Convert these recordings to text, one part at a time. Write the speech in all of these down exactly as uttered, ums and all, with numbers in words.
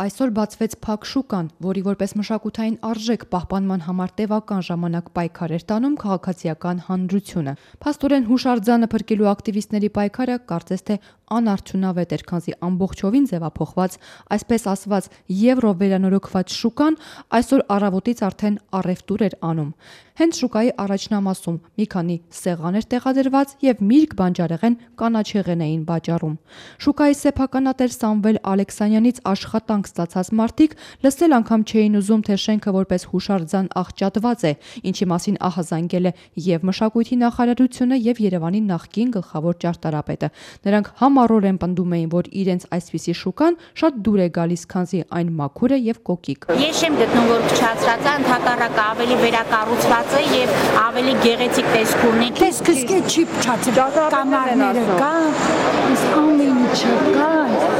Այսօր բացվեց Փակ շուկան, որի որպես մշակութային արժեք պահպանման համար տևական ժամանակ պայքար էր տանում քաղաքացիական հանրությունը։ Փաստորեն հուշարձանը փրկելու ակտիվիստների պայքարը կարծես թե անարդյունավետ էր, քանզի ամբողջովին ձևափոխված, այսպես ասված եվրո վերանորոգված շուկան այսօր առավոտից արդեն առևտուր էր անում։ Հենց շուկայի առաջնամասում մի քանի սեղան էր տեղադրված եւ միրգ բանջարեղեն կանաչեղեն էին վաճառում։ Շուկայի սեփականատեր Սամվել Ալեքսանյանից աշխատանք ստացած մարդիկ լսել անգամ չէին ուզում, թե շենքը որպես հուշարձան աղճատված է, ինչի մասին ահազանգել է եւ մշակույթի նախարարությունը եւ Երևանի նախկին գլխավոր ճարտարապետը։ Նրանք համառորեն պնդում էին, որ իրենց այսպիսի շուկան շատ դուր է գալիս, քանզի այն մաքուր է եւ կոկիկ։ Ես չեմ գտնում, որ փչացած է, ընդհակառակը ավելի վերակառուցված է եւ ավելի գեղեցիկ տեսք ունի։ Տեսքը չի փչացել, կամարները կան, իսկ ամեն ինչը կա,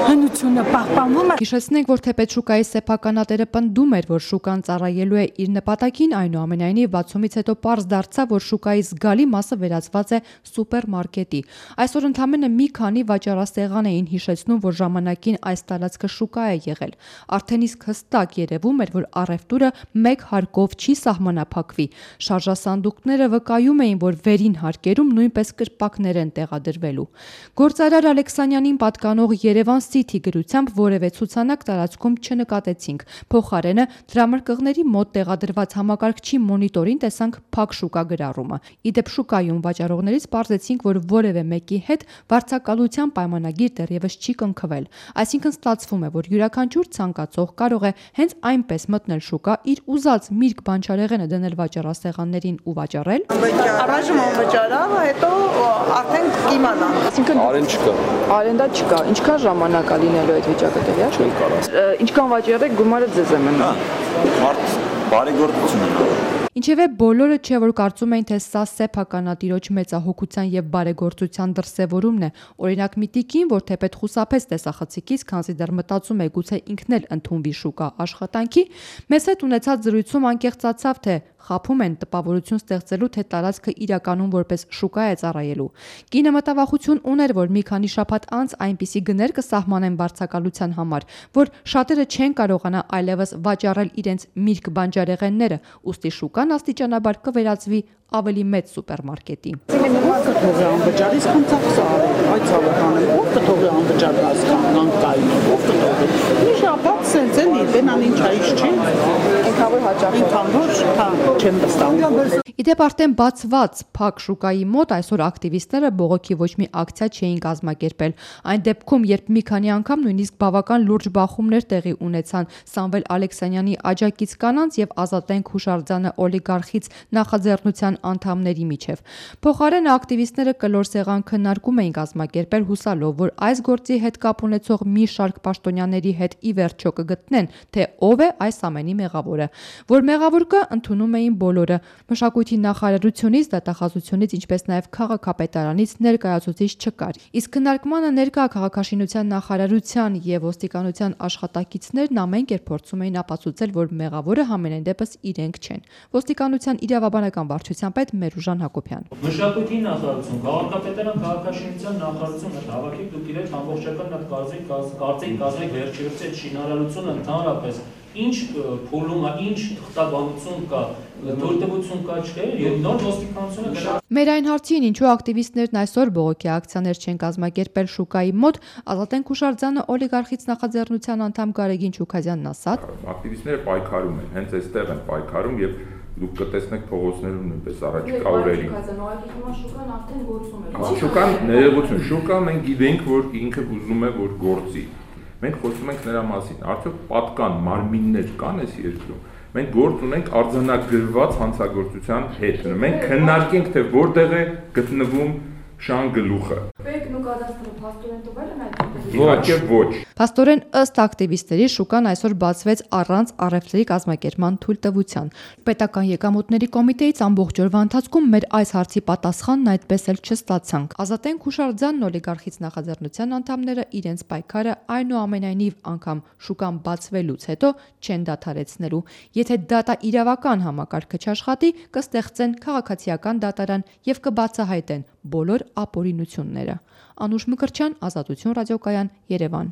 հնությունը պահպանվում է։ Հիշեցնենք, որ թեպետ շուկայի սեփականատերը պնդում էր, որ շուկան ծառայելու է իր նպատակին, այնուամենայնիվ բացումից հետո պարզ դարձավ, որ շուկայի զգալի մասը վերածված է սուպերմարկետի։ Այսօր ընդամենը մի քանի վաճառասեղան էին հիշեցնում, որ ժամանակին այս տարածքը շուկա է եղել։ Արդեն իսկ հստակ երևում էր, որ առևտուրը մեկ հարկով չի սահմանափակվի։ Շարժասանդուղքները վկայում էին, որ վերին հարկերում նույնպես կրպակներ են տեղադրվելու։ Գործարար Ալեքսանյանին պատկանող Երևան City գրությամբ որևէ ցուցանակ տարածքում չնկատեցինք։ Փոխարենը դրամարկղների մոտ տեղադրված համակարգչի մոնիտորին տեսանք Փակ շուկա գրառումը։ Իդեպ շուկայում վաճառողներից պարզեցինք, որ որևէ մեկի հետ վարձակալության պայմանագիր դեռևս չի կնքվել։ Այսինքն ստացվում է, որ յուրաքանչյուր ցանկացող կարող է հենց այնպես մտնել շուկա, իր ուզած միրգ բանջարեղենը դնել վաճառասեղաններին ու վաճառել։ Առայժմ անվճարա, հետո արդեն կիմանա։ Այսինքն արեն չկա։ Արենդա չկա։ Ինչքան ժամանակ է լինելու այդ վիճակը տեղյա չեք կարող։ Ինչքան վաճառեք, գումարը ձեզ է մնում։ Մարդ բարեգործություն ունի։ Ինչևէ բոլորը չէ, որ կարծում էին, թե սա սեփականատիրոջ մեծահոգության եւ բարեգործության դրսեւորումն է։ Օրինակ մի տիկին, որ թեպետ խուսափեց տեսախցիկից, քանզի դեռ մտածում է գուցե ինքն էլ ընդունվի շուկա աշխատանքի, մեզ հետ ունեցած զրույցում անկեղծացավ, թե խափում են տպավորություն ստեղծելու, թե տարածքը իրականում որպես շուկա է ծառայելու։ Կինը մտավախություն ուներ, որ մի քանի շաբաթ անց այնպիսի գներ կսահմանեն վարձակալության համար, որ շատերը չեն կարողանա այլևս վաճառել իրենց միրգ բանջարեղենները, ուստի շուկան աստիճանաբար կվերածվի ավելի մեծ սուպերմարկետի։ Կթողի անվճար, իսկ ծախսը այդ ցավոքանը ով կթողի անվճար հասկանան կային, ով կթողի։ Մի շաբաթ սենց էլի, դենան ինչ այժ չի։ Ինքավոր հաճախ Ինքավոր, հա, չեմ վստահում։ Իդեպ արդեն բացված Փակ շուկայի մոտ այսօր ակտիվիստները բողոքի ոչ մի ակցիա չէին կազմակերպել։ Այն դեպքում, երբ մի քանի անգամ նույնիսկ բավական լուրջ բախումներ տեղի ունեցան Սամվել Ալեքսանյանի աջակից կանանց եւ Ազատենք հուշարձանը օլիգարխից նախաձեռնության անդամների միջև։ Փոխարենը ակտիվիստները կլոր սեղան քննարկում էին կազմակերպել հուսալով, որ այս գործի հետ կապ ունեցող մի շարք պաշտոնյաների հետ ի վերջո կգտնեն, թե ով է այս ամենի մեղավորը։ Որ մեղավոր կա, ընդունում էին բոլորը։ Մշակույթի նախարարությունից, դատախազությունից, ինչպես նաև քաղաքապետարանից ներկայացուցիչ չկար։ Իսկ քննարկմանը ներկա քաղաքաշինության նախարարության եւ ոստիկանության աշխատակիցներն ամեն կերպ փորձում էին ապացուցել, որ մեղավորը համենայն դեպս իրենք չեն։ Ոստիկանության իրավաբանական վարչության պետ Մերուժան Հակոբյան։ Մշակույթի նախարարություն, քաղաքապետարան, քաղաքաշինության նախարարություն հետ հավաքեք դուք իրենց ամբողջական այդ կարծիք կարծիք կազմեք վերջերս այդ շինարարությունը ընդհանրապես ինչ փուլում է, ինչ թղթաբանություն կա, թույլտվություն կա չէ, եւ նոր ոստիկանությունը։ Մեր այն հարցին, ինչու ակտիվիստներն այսօր բողոքի ակցիաներ չեն կազմակերպել շուկայի մոտ, Ազատենք հուշարձանը օլիգարխից նախաձեռնության անդամ Գարեգին Չուքազյանն ասաց. Ակտիվիստները պայքարում են, հենց այստեղ են պայքարում եւ դուք կտեսնեք փողոցներում նույնպես առաջիկա օրերին։ Շուկան արդեն գործում է։ Շուկան ներողություն, շուկա մենք գիտենք, որ ինքը ուզում է որ գործի։ Մենք խոսում ենք նրա մասին, արդյոք պատկան մարմիններ կան այս երկրում։ Մենք գործ ունենք արձանագրված հանցագործության հետ։ Մենք քննարկենք, թե որտեղ է գտնվում շան գլուխը։ Բեկն ու կադաստրը փաստորեն տվել են այդ Ոչ, ոչ։ Փաստորեն ըստ ակտիվիստերի շուկան այսօր բացվեց առանց առևտրի կազմակերպման թույլտվության։ Պետական եկամուտների կոմիտեից ամբողջ օրվա ընթացքում մեր այս հարցի պատասխանն այդպես էլ չստացանք։ Ազատենք հուշարձանն օլիգարխից նախաձեռնության անդամները իրենց պայքարը այնուամենայնիվ անգամ շուկան բացվելուց հետո չեն դադարեցնելու։ Եթե դատա իրավական համակարգը չաշխատի, կստեղծեն քաղաքացիական դատարան եւ կբացահայտեն բոլոր ապօրինությունները։ Անուշ Մկրտչյան, Ազատություն ռադիոկայան, Երևան։